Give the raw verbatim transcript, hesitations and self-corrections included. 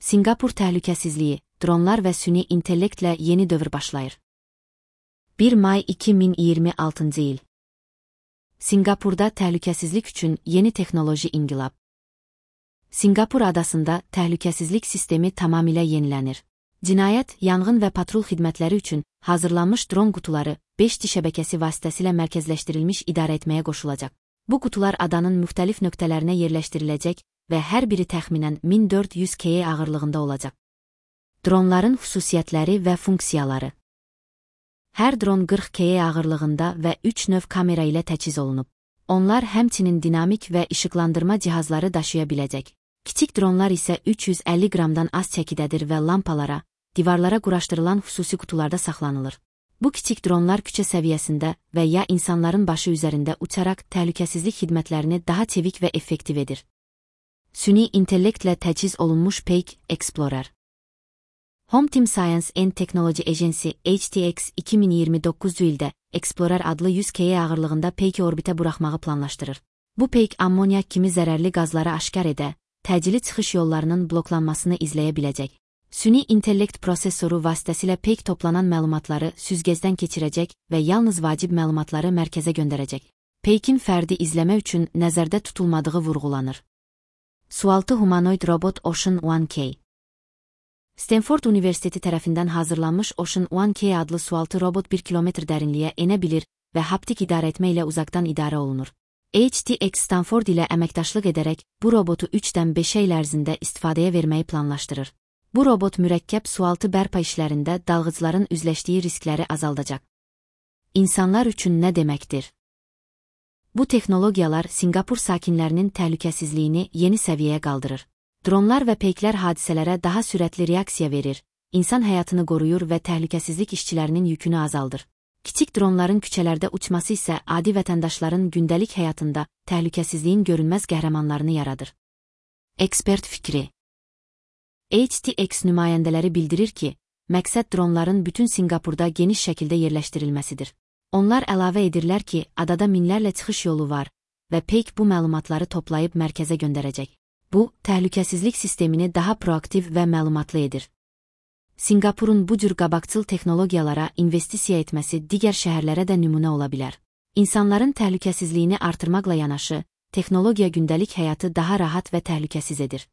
Sinqapur təhlükəsizliyi, dronlar və süni intellektlə yeni dövr başlayır. bir may iki min iyirmi altıncı il. Sinqapurda təhlükəsizlik üçün yeni texnoloji inqilab. Sinqapur adasında təhlükəsizlik sistemi tamamilə yenilənir. Cinayət, yanğın və patrul xidmətləri üçün hazırlanmış dron qutuları beş G şəbəkəsi vasitəsilə mərkəzləşdirilmiş idarə etməyə qoşulacaq. Bu qutular adanın müxtəlif nöqtələrinə yerləşdiriləcək və hər biri təxminən min dörd yüz kiloqram ağırlığında olacaq. Dronların xüsusiyyətləri və funksiyaları. Hər dron qırx kiloqram ağırlığında və üç növ kamera ilə təchiz olunub. Onlar həmçinin dinamik və işıqlandırma cihazları daşıya biləcək. Kiçik dronlar isə üç yüz əlli qramdan az çəkidədir və lampalara, divarlara quraşdırılan xüsusi qutularda saxlanılır. Bu kiçik dronlar küçə səviyyəsində və ya insanların başı üzərində uçaraq təhlükəsizlik xidmətlərini daha çevik və effektiv edir. Süni intellektlə təchiz olunmuş Peik Explorer. Home Team Science and Technology Agency H T X iki min iyirmi doqquzuncu ildə Explorer adlı yüz kiloqram ağırlığında Peiki orbitə buraxmağı planlaşdırır. Bu Peik ammonyak kimi zərərli qazları aşkar edə, təcili çıxış yollarının bloklanmasını izləyə biləcək. Süni intellekt prosesoru vasitəsilə Peik toplanan məlumatları süzgəcdən keçirəcək və yalnız vacib məlumatları mərkəzə göndərəcək. Peikin fərdi izləmə üçün nəzərdə tutulmadığı vurğulanır. Sualtı humanoid robot Ocean One K. Stanford Universiteti tərəfindən hazırlanmış Ocean One K adlı sualtı robot bir kilometr dərinliyə enə bilir və haptik idarə etmə ilə uzaqdan idarə olunur. H T X Stanford ilə əməkdaşlıq edərək bu robotu üçdən beşə il ərzində istifadəyə verməyi planlaşdırır. Bu robot mürəkkəb sualtı bərpa işlərində dalğıcların üzləşdiyi riskləri azaldacaq. İnsanlar üçün nə deməkdir? Bu texnologiyalar Sinqapur sakinlərinin təhlükəsizliyini yeni səviyyəyə qaldırır. Dronlar və peyklər hadisələrə daha sürətli reaksiya verir, insan həyatını qoruyur və təhlükəsizlik işçilərinin yükünü azaldır. Kiçik dronların küçələrdə uçması isə adi vətəndaşların gündəlik həyatında təhlükəsizliyin görünməz qəhrəmanlarını yaradır. Ekspert fikri. H T X nümayəndələri bildirir ki, məqsəd dronların bütün Sinqapurda geniş şəkildə yerləşdirilməsidir. Onlar əlavə edirlər ki, adada minlərlə çıxış yolu var və Peik bu məlumatları toplayıb mərkəzə göndərəcək. Bu, təhlükəsizlik sistemini daha proaktiv və məlumatlı edir. Sinqapurun bu cür qabaqcıl texnologiyalara investisiya etməsi digər şəhərlərə də nümunə ola bilər. İnsanların təhlükəsizliyini artırmaqla yanaşı, texnologiya gündəlik həyatı daha rahat və təhlükəsiz edir.